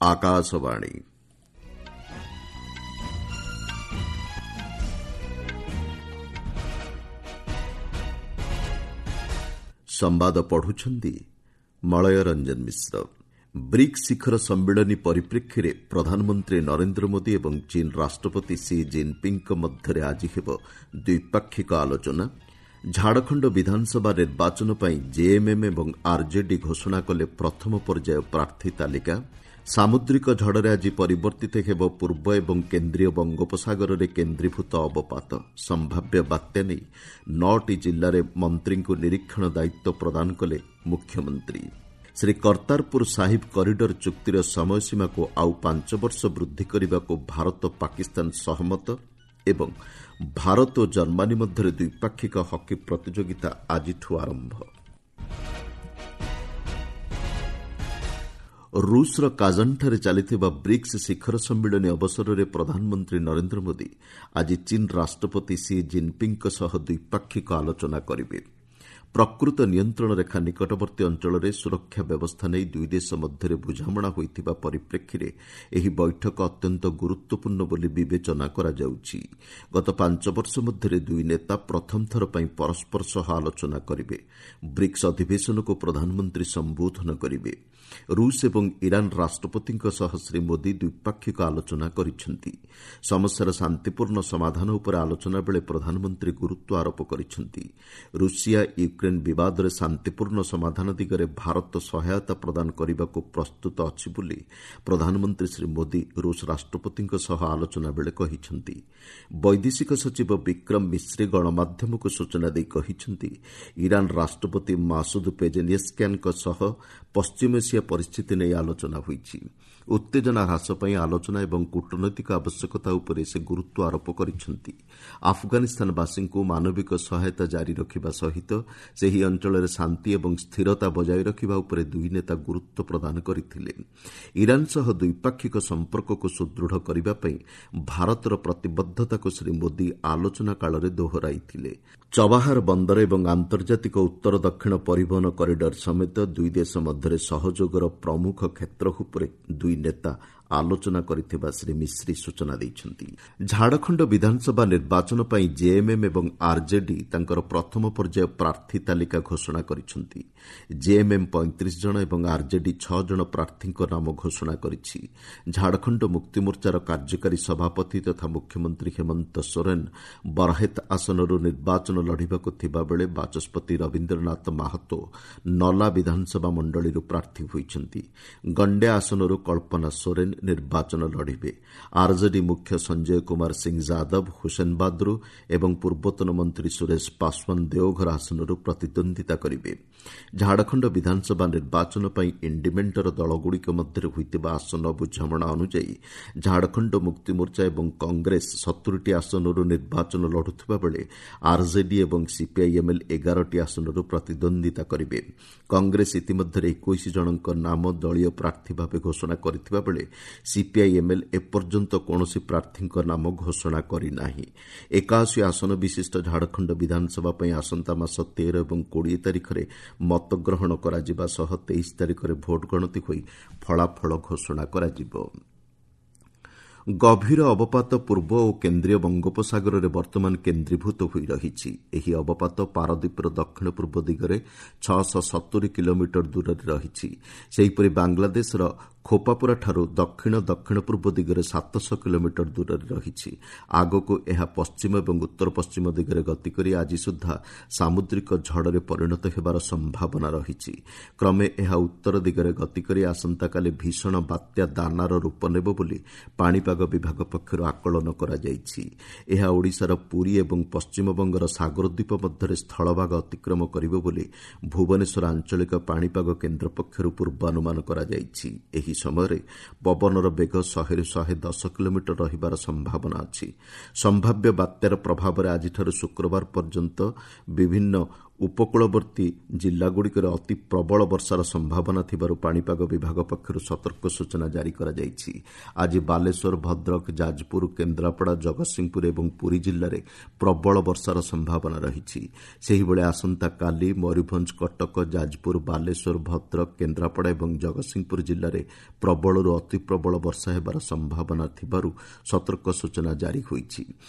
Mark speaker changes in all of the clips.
Speaker 1: ଆକାଶବାଣୀ। ସମ୍ବାଦ ପଢୁଛନ୍ତି ମଳୟ ରଞ୍ଜନ ମିଶ୍ର। ବ୍ରିକ୍ସ ଶିଖର ସମ୍ମିଳନୀ ପରିପ୍ରେକ୍ଷୀରେ ପ୍ରଧାନମନ୍ତ୍ରୀ ନରେନ୍ଦ୍ର ମୋଦି ଏବଂ ଚୀନ୍ ରାଷ୍ଟ୍ରପତି ସି ଜିନ୍ପିଙ୍ଗ୍ଙ୍କ ମଧ୍ୟରେ ଆଜି ହେବ ଦ୍ୱିପାକ୍ଷିକ ଆଲୋଚନା। ଝାଡ଼ଖଣ୍ଡ ବିଧାନସଭା ନିର୍ବାଚନ ପାଇଁ ଜେଏମ୍ଏମ୍ ଏବଂ ଆର୍ଜେଡି ଘୋଷଣା କଲେ ପ୍ରଥମ ପର୍ଯ୍ୟାୟ ପ୍ରାର୍ଥୀ ତାଲିକା। ସାମୁଦ୍ରିକ ଝଡ଼ରେ ଆଜି ପରିବର୍ତ୍ତିତ ହେବ ପୂର୍ବ ଏବଂ କେନ୍ଦ୍ରୀୟ ବଙ୍ଗୋପସାଗରରେ କେନ୍ଦ୍ରୀଭୂତ ଅବପାତ। ସମ୍ଭାବ୍ୟ ବାତ୍ୟା ନେଇ ନଅଟି ଜିଲ୍ଲାରେ ମନ୍ତ୍ରୀଙ୍କୁ ନିରୀକ୍ଷଣ ଦାୟିତ୍ୱ ପ୍ରଦାନ କଲେ ମୁଖ୍ୟମନ୍ତ୍ରୀ। ଶ୍ରୀ କର୍ତ୍ତାରପୁର ସାହିବ କରିଡର ଚୁକ୍ତିର ସମୟସୀମାକୁ ଆଉ 5 ବର୍ଷ ବୃଦ୍ଧି କରିବାକୁ ଭାରତ ପାକିସ୍ତାନ ସହମତ ଏବଂ ଭାରତ ଓ ଜର୍ମାନୀ ମଧ୍ୟରେ ଦ୍ୱିପାକ୍ଷିକ ହକି ପ୍ରତିଯୋଗିତା ଆଜିଠୁ ଆରମ୍ଭ। ରୁଷର କାଜାନ୍ଠାରେ ଚାଲିଥିବା ବ୍ରିକ୍ସ ଶିଖର ସମ୍ମିଳନୀ ଅବସରରେ ପ୍ରଧାନମନ୍ତ୍ରୀ ନରେନ୍ଦ୍ର ମୋଦି ଆଜି ଚୀନ୍ ରାଷ୍ଟ୍ରପତି ସି ଜିନ୍ପିଙ୍ଗ୍ଙ୍କ ସହ ଦ୍ୱିପାକ୍ଷିକ ଆଲୋଚନା କରିବେ। ପ୍ରକୃତ ନିୟନ୍ତ୍ରଣ ରେଖା ନିକଟବର୍ତ୍ତୀ ଅଞ୍ଚଳରେ ସୁରକ୍ଷା ବ୍ୟବସ୍ଥା ନେଇ ଦୁଇଦେଶ ମଧ୍ୟରେ ବୁଝାମଣା ହୋଇଥିବା ପରିପ୍ରେକ୍ଷୀରେ ଏହି ବୈଠକ ଅତ୍ୟନ୍ତ ଗୁରୁତ୍ୱପୂର୍ଣ୍ଣ ବୋଲି ବିବେଚନା କରାଯାଉଛି। ଗତ 5 ବର୍ଷ ମଧ୍ୟରେ ଦୁଇ ନେତା ପ୍ରଥମ ଥର ପାଇଁ ପରସ୍ପର ସହ ଆଲୋଚନା କରିବେ। ବ୍ରିକ୍ସ ଅଧିବେଶନକୁ ପ୍ରଧାନମନ୍ତ୍ରୀ ସମ୍ବୋଧନ କରିବେ। ରୁଷ ଏବଂ ଇରାନ୍ ରାଷ୍ଟ୍ରପତିଙ୍କ ସହ ଶ୍ରୀ ମୋଦି ଦ୍ୱିପାକ୍ଷିକ ଆଲୋଚନା କରିଛନ୍ତି। ସମସ୍ୟାର ଶାନ୍ତିପୂର୍ଣ୍ଣ ସମାଧାନ ଉପରେ ଆଲୋଚନା ବେଳେ ପ୍ରଧାନମନ୍ତ୍ରୀ ଗୁରୁତ୍ୱ ଆରୋପ କରିଛନ୍ତି। ରୁଷିଆ ୟୁକ୍ରେନ୍ ବିବାଦରେ ଶାନ୍ତିପୂର୍ଣ୍ଣ ସମାଧାନ ଦିଗରେ ଭାରତ ସହାୟତା ପ୍ରଦାନ କରିବାକୁ ପ୍ରସ୍ତୁତ ଅଛି ବୋଲି ପ୍ରଧାନମନ୍ତ୍ରୀ ଶ୍ରୀ ମୋଦି ରୁଷ ରାଷ୍ଟ୍ରପତିଙ୍କ ସହ ଆଲୋଚନା ବେଳେ କହିଛନ୍ତି। ବୈଦେଶିକ ସଚିବ ବିକ୍ରମ ମିଶ୍ରି ଗଣମାଧ୍ୟମକୁ ସୂଚନା ଦେଇ କହିଛନ୍ତି, ଇରାନ୍ ରାଷ୍ଟ୍ରପତି ମାସୁଦ ପେଜେନିସ୍କିଆନ୍ଙ୍କ ସହ ପଶ୍ଚିମ ଏସିଆ ପରିସ୍ଥିତି ନେଇ ଆଲୋଚନା ହୋଇଛି। ଉତ୍ତେଜନା ହ୍ରାସ ପାଇଁ ଆଲୋଚନା ଏବଂ କୂଟନୈତିକ ଆବଶ୍ୟକତା ଉପରେ ସେ ଗୁରୁତ୍ୱ ଆରୋପ କରିଛନ୍ତି। ଆଫଗାନିସ୍ତାନବାସୀଙ୍କୁ ମାନବିକ ସହାୟତା ଜାରି ରଖିବା ସହିତ ସେହି ଅଞ୍ଚଳରେ ଶାନ୍ତି ଏବଂ ସ୍ଥିରତା ବଜାୟ ରଖିବା ଉପରେ ଦୁଇ ନେତା ଗୁରୁତ୍ୱ ପ୍ରଦାନ କରିଥିଲେ। ଇରାନ୍ ସହ ଦ୍ୱିପାକ୍ଷିକ ସମ୍ପର୍କକୁ ସୁଦୃଢ଼ କରିବା ପାଇଁ ଭାରତର ପ୍ରତିବଦ୍ଧତାକୁ ଶ୍ରୀ ମୋଦି ଆଲୋଚନା କାଳରେ ଦୋହରାଇଥିଲେ। ଚବାହାର ବନ୍ଦର ଏବଂ ଆନ୍ତର୍ଜାତିକ ଉତ୍ତର ଦକ୍ଷିଣ ପରିବହନ କରିଡର ସମେତ ଦୁଇ ଦେଶ ମଧ୍ୟରେ ସହଯୋଗର ପ୍ରମୁଖ କ୍ଷେତ୍ର ଉପରେ ଦୁଇ ନେତା ଆଲୋଚନା କରିଥିବା ଶ୍ରୀ ମିଶ୍ରି ସୂଚନା ଦେଇଛନ୍ତି। ଝାଡ଼ଖଣ୍ଡ ବିଧାନସଭା ନିର୍ବାଚନ ପାଇଁ ଜେଏମ୍ଏମ୍ ଏବଂ ଆର୍ଜେଡି ତାଙ୍କର ପ୍ରଥମ ପର୍ଯ୍ୟାୟ ପ୍ରାର୍ଥୀ ତାଲିକା ଘୋଷଣା କରିଛନ୍ତି। ଜେଏମ୍ଏମ୍ 35 ଜଣ ଏବଂ ଆର୍ଜେଡି 6 ଜଣ ପ୍ରାର୍ଥୀଙ୍କ ନାମ ଘୋଷଣା କରିଛି। ଝାଡ଼ଖଣ୍ଡ ମୁକ୍ତିମୋର୍ଚ୍ଚାର କାର୍ଯ୍ୟକାରୀ ସଭାପତି ତଥା ମୁଖ୍ୟମନ୍ତ୍ରୀ ହେମନ୍ତ ସୋରେନ୍ ବରହେତ ଆସନରୁ ନିର୍ବାଚନ ଲଢ଼ିବାକୁ ଥିବାବେଳେ ବାଚସ୍ପତି ରବୀନ୍ଦ୍ରନାଥ ମାହାତୋ ନଲା ବିଧାନସଭା ମଣ୍ଡଳୀରୁ ପ୍ରାର୍ଥୀ ହୋଇଛନ୍ତି। ଗଣ୍ଡିଆ ଆସନରୁ କଳ୍ପନା ସୋରେନ୍ ନିର୍ବାଚନ ଲଢ଼ିବେ। ଆର୍ଜେଡି ମୁଖ୍ୟ ସଞ୍ଜୟ କୁମାର ସିଂ ଯାଦବ ହୁସେନବାଦରୁ ଏବଂ ପୂର୍ବତନ ମନ୍ତ୍ରୀ ସୁରେଶ ପାଶୱାନ ଦେଓଘର ଆସନରୁ ପ୍ରତିଦ୍ୱନ୍ଦ୍ୱିତା କରିବେ। ଝାଡ଼ଖଣ୍ଡ ବିଧାନସଭା ନିର୍ବାଚନ ପାଇଁ ଇଣ୍ଡିମେଣ୍ଟର ଦଳଗୁଡ଼ିକ ମଧ୍ୟରେ ହୋଇଥିବା ଆସନ ବୁଝାମଣା ଅନୁଯାୟୀ ଝାଡ଼ଖଣ୍ଡ ମୁକ୍ତିମୋର୍ଚ୍ଚା ଏବଂ କଂଗ୍ରେସ 70ଟି ଆସନରୁ ନିର୍ବାଚନ ଲଢ଼ୁଥିବା ବେଳେ ଆର୍ଜେଡି ଏବଂ ସିପିଆଇଏମ୍ଏଲ୍ 11ଟି ଆସନରୁ ପ୍ରତିଦ୍ୱନ୍ଦ୍ୱିତା କରିବେ। କଂଗ୍ରେସ ଇତିମଧ୍ୟରେ 21 ଜଣଙ୍କ ନାମ ଦଳୀୟ ପ୍ରାର୍ଥୀ ଭାବେ ଘୋଷଣା କରିଥିବା ବେଳେ ସିପିଆଇଏମ୍ଏଲ୍ ଏପର୍ଯ୍ୟନ୍ତ କୌଣସି ପ୍ରାର୍ଥୀଙ୍କ ନାମ ଘୋଷଣା କରିନାହିଁ। 81 ଆସନ ବିଶିଷ୍ଟ ଝାଡ଼ଖଣ୍ଡ ବିଧାନସଭା ପାଇଁ ଆସନ୍ତା ମାସ 13 ଏବଂ 20 ତାରିଖରେ ମତଗ୍ରହଣ କରାଯିବା ସହ 23 ତାରିଖରେ ଭୋଟ ଗଣତି ହୋଇ ଫଳାଫଳ ଘୋଷଣା କରାଯିବ। ଗଭୀର ଅବପାତ ପୂର୍ବ ଓ କେନ୍ଦ୍ରୀୟ ବଙ୍ଗୋପସାଗରରେ ବର୍ତ୍ତମାନ କେନ୍ଦ୍ରୀଭୂତ ହୋଇ ରହିଛି। ଏହି ଅବପାତ ପାରାଦୀପର ଦକ୍ଷିଣ ପୂର୍ବ ଦିଗରେ 670 କିଲୋମିଟର ଦୂରରେ ରହିଛି। ସେହିପରି ବାଂଲାଦେଶର ଖୋପାପୁରାଠାରୁ ଦକ୍ଷିଣ ଦକ୍ଷିଣ ପୂର୍ବ ଦିଗରେ 700 କିଲୋମିଟର ଦୂରରେ ରହିଛି। ଆଗକୁ ଏହା ପଶ୍ଚିମ ଏବଂ ଉତ୍ତର ପଶ୍ଚିମ ଦିଗରେ ଗତି କରି ଆଜି ସୁଦ୍ଧା ସାମୁଦ୍ରିକ ଝଡ଼ରେ ପରିଣତ ହେବାର ସମ୍ଭାବନା ରହିଛି। କ୍ରମେ ଏହା ଉତ୍ତର ଦିଗରେ ଗତି କରି ଆସନ୍ତାକାଲି ଭୀଷଣ ବାତ୍ୟା ଦାନାର ରୂପ ନେବ ବୋଲି ପାଣିପାଗ ବିଭାଗ ପକ୍ଷରୁ ଆକଳନ କରାଯାଇଛି। ଏହା ଓଡ଼ିଶାର ପୁରୀ ଏବଂ ପଶ୍ଚିମବଙ୍ଗର ସାଗରଦ୍ୱୀପ ମଧ୍ୟରେ ସ୍ଥଳଭାଗ ଅତିକ୍ରମ କରିବ ବୋଲି ଭୁବନେଶ୍ୱର ଆଞ୍ଚଳିକ ପାଣିପାଗ କେନ୍ଦ୍ର ପକ୍ଷରୁ ପୂର୍ବାନୁମାନ କରାଯାଇଛି। ଏହି ସମୟରେ ପବନର ବେଗ 100ରୁ 110 କିଲୋମିଟର ରହିବାର ସମ୍ଭାବନା ଅଛି। ସମ୍ଭାବ୍ୟ ବାତ୍ୟାର ପ୍ରଭାବରେ ଆଜିଠାରୁ ଶୁକ୍ରବାର ପର୍ଯ୍ୟନ୍ତ ବିଭିନ୍ନ ଉପକୂଳବର୍ତ୍ତୀ ଜିଲ୍ଲାଗୁଡ଼ିକରେ ଅତି ପ୍ରବଳ ବର୍ଷାର ସମ୍ଭାବନା ଥିବାରୁ ପାଣିପାଗ ବିଭାଗ ପକ୍ଷରୁ ସତର୍କ ସୂଚନା ଜାରି କରାଯାଇଛି। ଆଜି ବାଲେଶ୍ୱର, ଭଦ୍ରକ, ଯାଜପୁର, କେନ୍ଦ୍ରାପଡ଼ା, ଜଗତସିଂହପୁର ଏବଂ ପୁରୀ ଜିଲ୍ଲାରେ ପ୍ରବଳ ବର୍ଷାର ସମ୍ଭାବନା ରହିଛି। ସେହିଭଳି ଆସନ୍ତାକାଲି ମୟୂରଭଞ୍ଜ, କଟକ, ଯାଜପୁର, ବାଲେଶ୍ୱର, ଭଦ୍ରକ, କେନ୍ଦ୍ରାପଡ଼ା ଏବଂ ଜଗତସିଂହପୁର ଜିଲ୍ଲାରେ ପ୍ରବଳରୁ ଅତି ପ୍ରବଳ ବର୍ଷା ହେବାର ସମ୍ଭାବନା ଥିବାରୁ ସତର୍କ ସୂଚନା ଜାରି ହୋଇଛି।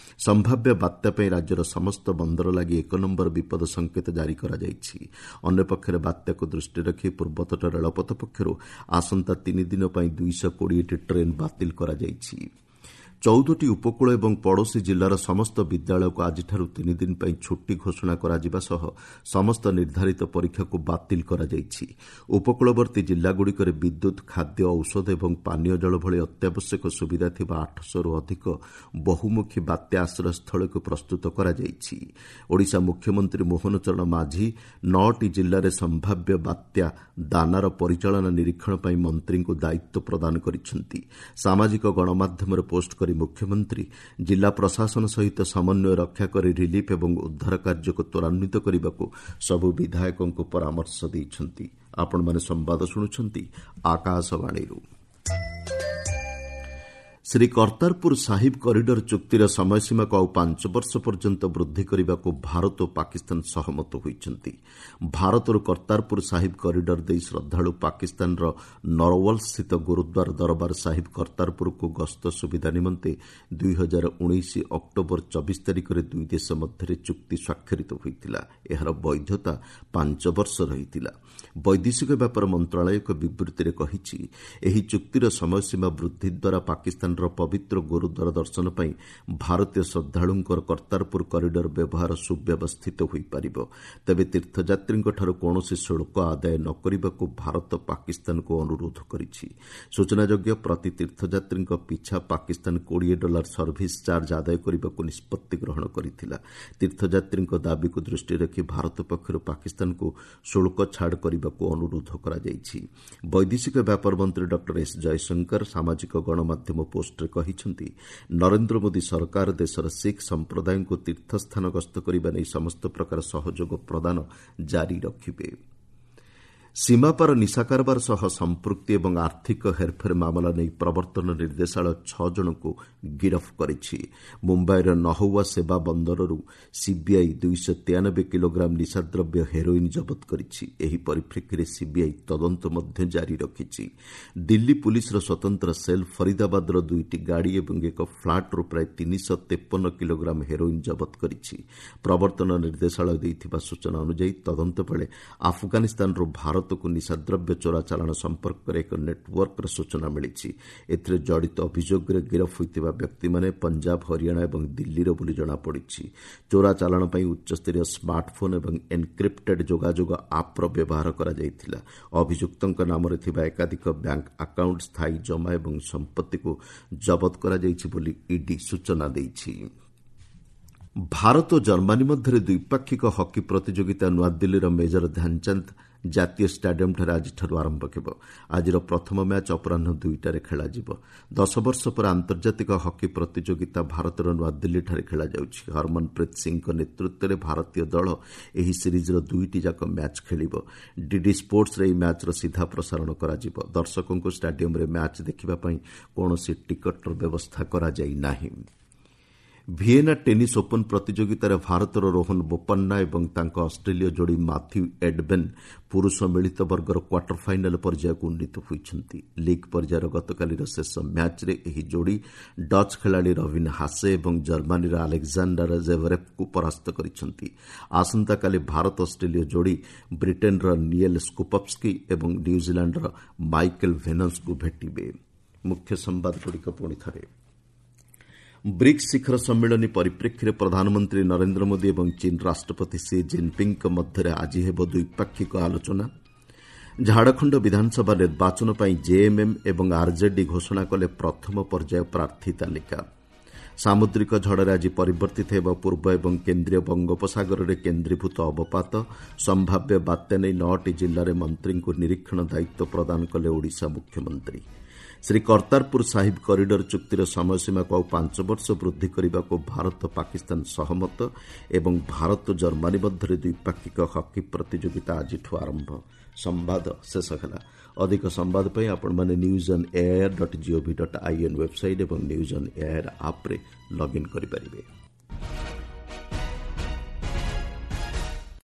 Speaker 1: ସମ୍ଭାବ୍ୟ ବାତ୍ୟା ପାଇଁ ରାଜ୍ୟର ସମସ୍ତ ବନ୍ଦର ଲାଗି 1 ନମ୍ବର ବିପଦ ସଂକେତ ଜାରି କରାଯାଇଛି। ଅନ୍ୟପକ୍ଷରେ ବାତ୍ୟାକୁ ଦୃଷ୍ଟିରେ ରଖି ପୂର୍ବତଟ ରେଳପଥ ପକ୍ଷରୁ ଆସନ୍ତା 3 ଦିନ ପାଇଁ 220ଟି ଟ୍ରେନ୍ ବାତିଲ କରାଯାଇଛି। 14ଟି ଉପକୂଳ ଏବଂ ପଡ଼ୋଶୀ ଜିଲ୍ଲାର ସମସ୍ତ ବିଦ୍ୟାଳୟକୁ ଆଜିଠାରୁ 3 ଦିନ ପାଇଁ ଛୁଟି ଘୋଷଣା କରାଯିବା ସହ ସମସ୍ତ ନିର୍ଦ୍ଧାରିତ ପରୀକ୍ଷାକୁ ବାତିଲ କରାଯାଇଛି। ଉପକୂଳବର୍ତ୍ତୀ ଜିଲ୍ଲାଗୁଡ଼ିକରେ ବିଦ୍ୟୁତ୍, ଖାଦ୍ୟ, ଔଷଧ ଏବଂ ପାନୀୟ ଜଳ ଭଳି ଅତ୍ୟାବଶ୍ୟକ ସୁବିଧା ଥିବା 800ରୁ ଅଧିକ ବହୁମୁଖୀ ବାତ୍ୟା ଆଶ୍ରୟସ୍ଥଳୀକୁ ପ୍ରସ୍ତୁତ କରାଯାଇଛି। ଓଡ଼ିଶା ମୁଖ୍ୟମନ୍ତ୍ରୀ ମୋହନ ଚରଣ ମାଝୀ 9ଟି ଜିଲ୍ଲାରେ ସମ୍ଭାବ୍ୟ ବାତ୍ୟା ଦାନାର ପରିଚାଳନା ନିରୀକ୍ଷଣ ପାଇଁ ମନ୍ତ୍ରୀଙ୍କୁ ଦାୟିତ୍ୱ ପ୍ରଦାନ କରିଛନ୍ତି। ସାମାଜିକ ଗଣମାଧ୍ୟମରେ ପୋଷ୍ଟ କରି ମୁଖ୍ୟମନ୍ତ୍ରୀ ଜିଲ୍ଲା ପ୍ରଶାସନ ସହିତ ସମନ୍ୱୟ ରକ୍ଷା କରି ରିଲିଫ୍ ଏବଂ ଉଦ୍ଧାର କାର୍ଯ୍ୟକୁ ତ୍ୱରାନ୍ୱିତ କରିବାକୁ ସବୁ ବିଧାୟକଙ୍କୁ ପରାମର୍ଶ ଦେଇଛନ୍ତି। ଆପଣମାନେ ସମ୍ବାଦ ଶୁଣୁଛନ୍ତି ଆକାଶବାଣୀରୁ। ଶ୍ରୀ କର୍ତ୍ତାରପୁର ସାହିବ କରିଡର ଚୁକ୍ତିର ସମୟସୀମାକୁ ଆଉ 5 ବର୍ଷ ପର୍ଯ୍ୟନ୍ତ ବୃଦ୍ଧି କରିବାକୁ ଭାରତ ଓ ପାକିସ୍ତାନ ସହମତ ହୋଇଛନ୍ତି। ଭାରତରୁ କର୍ତ୍ତାରପୁର ସାହିବ କରିଡର ଦେଇ ଶ୍ରଦ୍ଧାଳୁ ପାକିସ୍ତାନର ନରୱାଲସ୍ଥିତ ଗୁରୁଦ୍ୱାର ଦରବାର ସାହିବ କର୍ତ୍ତାରପୁରକୁ ଗସ୍ତ ସୁବିଧା ନିମନ୍ତେ 2019 ଅକ୍ଟୋବର 24 ତାରିଖରେ ଦୁଇ ଦେଶ ମଧ୍ୟରେ ଚୁକ୍ତି ସ୍ୱାକ୍ଷରିତ ହୋଇଥିଲା। ଏହାର ବୈଧତା 5 ବର୍ଷ ରହିଥିଲା। ବୈଦେଶିକ ବ୍ୟାପାର ମନ୍ତ୍ରଣାଳୟ ଏକ ବିବୃତ୍ତିରେ କହିଛି, ଏହି ଚୁକ୍ତିର ସମୟସୀମା ବୃଦ୍ଧି ଦ୍ୱାରା ପାକିସ୍ତାନର ପବିତ୍ର ଗୁରୁଦ୍ୱାର ଦର୍ଶନ ପାଇଁ ଭାରତୀୟ ଶ୍ରଦ୍ଧାଳୁଙ୍କର କର୍ତ୍ତାରପୁର କରିଡର ବ୍ୟବହାର ସୁବ୍ୟବସ୍ଥିତ ହୋଇପାରିବ। ତେବେ ତୀର୍ଥଯାତ୍ରୀଙ୍କଠାରୁ କୌଣସି ଶୁଳ୍କ ଆଦାୟ ନ କରିବାକୁ ଭାରତ ପାକିସ୍ତାନକୁ ଅନୁରୋଧ କରିଛି। ସୂଚନାଯୋଗ୍ୟ, ପ୍ରତି ତୀର୍ଥଯାତ୍ରୀଙ୍କ ପିଛା ପାକିସ୍ତାନ $20 ସର୍ଭିସ ଚାର୍ଜ ଆଦାୟ କରିବାକୁ ନିଷ୍ପତ୍ତି ଗ୍ରହଣ କରିଥିଲା। ତୀର୍ଥଯାତ୍ରୀଙ୍କ ଦାବିକୁ ଦୃଷ୍ଟିରେ ରଖି ଭାରତ ପକ୍ଷରୁ ପାକିସ୍ତାନକୁ ଶୁଳ୍କ ଛାଡ଼ କରିବାକୁ ଅନୁରୋଧ କରାଯାଇଛି। ବୈଦେଶିକ ବ୍ୟାପାର ମନ୍ତ୍ରୀ ଡକ୍ଟର ଏସ୍ ଜୟଶଙ୍କର ସାମାଜିକ ଗଣମାଧ୍ୟମ ପୋଷ୍ଟରେ କହିଛନ୍ତି, ନରେନ୍ଦ୍ର ମୋଦି ସରକାର ଦେଶର ଶିଖ୍ ସମ୍ପ୍ରଦାୟଙ୍କୁ ତୀର୍ଥସ୍ଥାନ ଗସ୍ତ କରିବା ନେଇ ସମସ୍ତ ପ୍ରକାର ସହଯୋଗ ପ୍ରଦାନ ଜାରି ରଖିବେ। ସୀମାପାର ନିଶା କାରବାର ସହ ସମ୍ପୃକ୍ତି ଏବଂ ଆର୍ଥିକ ହେରଫେର ମାମଲା ନେଇ ପ୍ରବର୍ତ୍ତନ ନିର୍ଦ୍ଦେଶାଳୟ 6 ଜଣଙ୍କୁ ଗିରଫ କରିଛି। ମୁମ୍ବାଇର ନହୱା ସେବା ବନ୍ଦରରୁ ସିବିଆଇ 293 କିଲୋଗ୍ରାମ ନିଶାଦ୍ରବ୍ୟ ହେରୋଇନ୍ ଜବତ କରିଛି। ଏହି ପରିପ୍ରେକ୍ଷୀରେ ସିବିଆଇ ତଦନ୍ତ ମଧ୍ୟ ଜାରି ରଖିଛି। ଦିଲ୍ଲୀ ପୁଲିସର ସ୍ୱତନ୍ତ୍ର ସେଲ୍ ଫରିଦାବାଦର 2ଟି ଗାଡ଼ି ଏବଂ ଏକ ଫ୍ଲାଟ୍ରୁ ପ୍ରାୟ 353 କିଲୋଗ୍ରାମ ହେରୋଇନ୍ ଜବତ କରିଛି। ପ୍ରବର୍ତ୍ତନ ନିର୍ଦ୍ଦେଶାଳୟ ଦେଇଥିବା ସୂଚନା ଅନୁଯାୟୀ ତଦନ୍ତ ବେଳେ ଆଫଗାନିସ୍ତାନରୁ ଭାରତକୁ ନିଶାଦ୍ରବ୍ୟ ଚୋରା ଚାଲାଣ ସମ୍ପର୍କରେ ଏକ ନେଟୱାର୍କର ସୂଚନା ମିଳିଛି। ଏଥିରେ ଜଡ଼ିତ ଅଭିଯୋଗରେ ଗିରଫ ହୋଇଥିବା ବ୍ୟକ୍ତିମାନେ ପଞ୍ଜାବ, ହରିୟାଣା ଏବଂ ଦିଲ୍ଲୀର ବୋଲି ଜଣାପଡ଼ିଛି। ଚୋରା ଚାଲାଣ ପାଇଁ ଉଚ୍ଚସ୍ତରୀୟ ସ୍ମାର୍ଟଫୋନ୍ ଏବଂ ଏନ୍କ୍ରିପ୍ଟେଡ୍ ଯୋଗାଯୋଗ ଆପ୍ର ବ୍ୟବହାର କରାଯାଇଥିଲା। ଅଭିଯୁକ୍ତଙ୍କ ନାମରେ ଥିବା ଏକାଧିକ ବ୍ୟାଙ୍କ ଆକାଉଣ୍ଟ, ସ୍ଥାୟୀ ଜମା ଏବଂ ସମ୍ପତ୍ତିକୁ ଜବତ କରାଯାଇଛି ବୋଲି ଇଡି ସୂଚନା ଦେଇଛି। ଭାରତ ଓ ଜର୍ମାନୀ ମଧ୍ୟରେ ଦ୍ୱିପାକ୍ଷିକ ହକି ପ୍ରତିଯୋଗିତା ନୂଆଦିଲ୍ଲୀର ମେଜର ଧ୍ୟାନଚାନ୍ଦ ଜାତୀୟ ଷ୍ଟାଡିୟମ୍ଠାରେ ଆଜିଠାରୁ ଆରମ୍ଭ ହେବ। ଆଜିର ପ୍ରଥମ ମ୍ୟାଚ୍ ଅପରାହ୍ନ 2ଟାରେ ଖେଳାଯିବ। 10 ବର୍ଷ ପରେ ଆନ୍ତର୍ଜାତିକ ହକି ପ୍ରତିଯୋଗିତା ଭାରତର ନୂଆଦିଲ୍ଲୀଠାରେ ଖେଳାଯାଉଛି। ହରମନପ୍ରୀତ ସିଂଙ୍କ ନେତୃତ୍ୱରେ ଭାରତୀୟ ଦଳ ଏହି ସିରିଜ୍ର 2ଟି ଯାକ ମ୍ୟାଚ୍ ଖେଳିବ। ଡିଡି ସ୍ପୋର୍ଟସରେ ଏହି ମ୍ୟାଚ୍ର ସିଧା ପ୍ରସାରଣ କରାଯିବ। ଦର୍ଶକଙ୍କୁ ଷ୍ଟାଡିୟମ୍ରେ ମ୍ୟାଚ୍ ଦେଖିବା ପାଇଁ କୌଣସି ଟିକଟର ବ୍ୟବସ୍ଥା କରାଯାଇ ନାହିଁ। ଭିଏନା ଟେନିସ୍ ଓପନ୍ ପ୍ରତିଯୋଗିତାରେ ଭାରତର ରୋହନ ବୋପାନ୍ନା ଏବଂ ତାଙ୍କ ଅଷ୍ଟ୍ରେଲୀୟ ଯୋଡ଼ି ମାଥ୍ୟୁ ଏଡବେନ୍ ପୁରୁଷ ମିଳିତ ବର୍ଗର କ୍ୱାର୍ଟର ଫାଇନାଲ୍ ପର୍ଯ୍ୟାୟକୁ ଉନ୍ନୀତ ହୋଇଛନ୍ତି। ଲିଗ୍ ପର୍ଯ୍ୟାୟର ଗତକାଲିର ଶେଷ ମ୍ୟାଚ୍ରେ ଏହି ଯୋଡ଼ି ଡଚ୍ ଖେଳାଳି ରବିନ୍ ହାସେ ଏବଂ ଜର୍ମାନୀର ଆଲେକ୍ଜାଣ୍ଡାର ଜେଭରେଭ୍ଙ୍କୁ ପରାସ୍ତ କରିଛନ୍ତି। ଆସନ୍ତାକାଲି ଭାରତ ଅଷ୍ଟ୍ରେଲୀୟ ଯୋଡ଼ି ବ୍ରିଟେନ୍ର ନିଏଲ୍ ସ୍କୁପସ୍କି ଏବଂ ନ୍ୟୁଜିଲାଣ୍ଡର ମାଇକେଲ୍ ଭେନସ୍ଙ୍କୁ ଭେଟିବେ। ମୁଖ୍ୟ ସମ୍ବାଦଗୁଡ଼ିକ ପୁଣି ଥରେ। ବ୍ରିକ୍ସ ଶିଖର ସମ୍ମିଳନୀ ପରିପ୍ରେକ୍ଷୀରେ ପ୍ରଧାନମନ୍ତ୍ରୀ ନରେନ୍ଦ୍ର ମୋଦି ଏବଂ ଚୀନ୍ ରାଷ୍ଟ୍ରପତି ସି ଜିନ୍ପିଙ୍ଗ୍ଙ୍କ ମଧ୍ୟରେ ଆଜି ହେବ ଦ୍ୱିପାକ୍ଷିକ ଆଲୋଚନା। ଝାଡ଼ଖଣ୍ଡ ବିଧାନସଭା ନିର୍ବାଚନ ପାଇଁ ଜେଏମ୍ଏମ୍ ଏବଂ ଆର୍ଜେଡି ଘୋଷଣା କଲେ ପ୍ରଥମ ପର୍ଯ୍ୟାୟ ପ୍ରାର୍ଥୀ ତାଲିକା। ସାମୁଦ୍ରିକ ଝଡ଼ରେ ଆଜି ପରିବର୍ତ୍ତିତ ହେବ ପୂର୍ବ ଏବଂ କେନ୍ଦ୍ରୀୟ ବଙ୍ଗୋପସାଗରରେ କେନ୍ଦ୍ରୀଭୂତ ଅବପାତ। ସମ୍ଭାବ୍ୟ ବାତ୍ୟା ନେଇ 9ଟି ଜିଲ୍ଲାରେ ମନ୍ତ୍ରୀଙ୍କୁ ନିରୀକ୍ଷଣ ଦାୟିତ୍ୱ ପ୍ରଦାନ କଲେ ଓଡ଼ିଶା ମୁଖ୍ୟମନ୍ତ୍ରୀ। ଶ୍ରୀ କର୍ତ୍ତାରପୁର ସାହିବ କରିଡର ଚୁକ୍ତିର ସମୟସୀମାକୁ ଆଉ 5 ବର୍ଷ ବୃଦ୍ଧି କରିବାକୁ ଭାରତ ପାକିସ୍ତାନ ସହମତ ଏବଂ ଭାରତ ଜର୍ମାନୀ ମଧ୍ୟରେ ଦ୍ୱିପାକ୍ଷିକ ହକି ପ୍ରତିଯୋଗିତା ଆଜିଠୁ ଆରମ୍ଭ। ସମ୍ବାଦ ଶେଷ ହେଲା। ଅଧିକ ସମ୍ବାଦ ପାଇଁ ଆପଣମାନେ news on AIR dot GOV dot IN website ଏବଂ ନ୍ୟୁଜ୍ ଅନ୍ ଏଆଇଆର୍ ଆପ୍ରେ ଲଗ୍ଇନ୍ କରିପାରିବେ।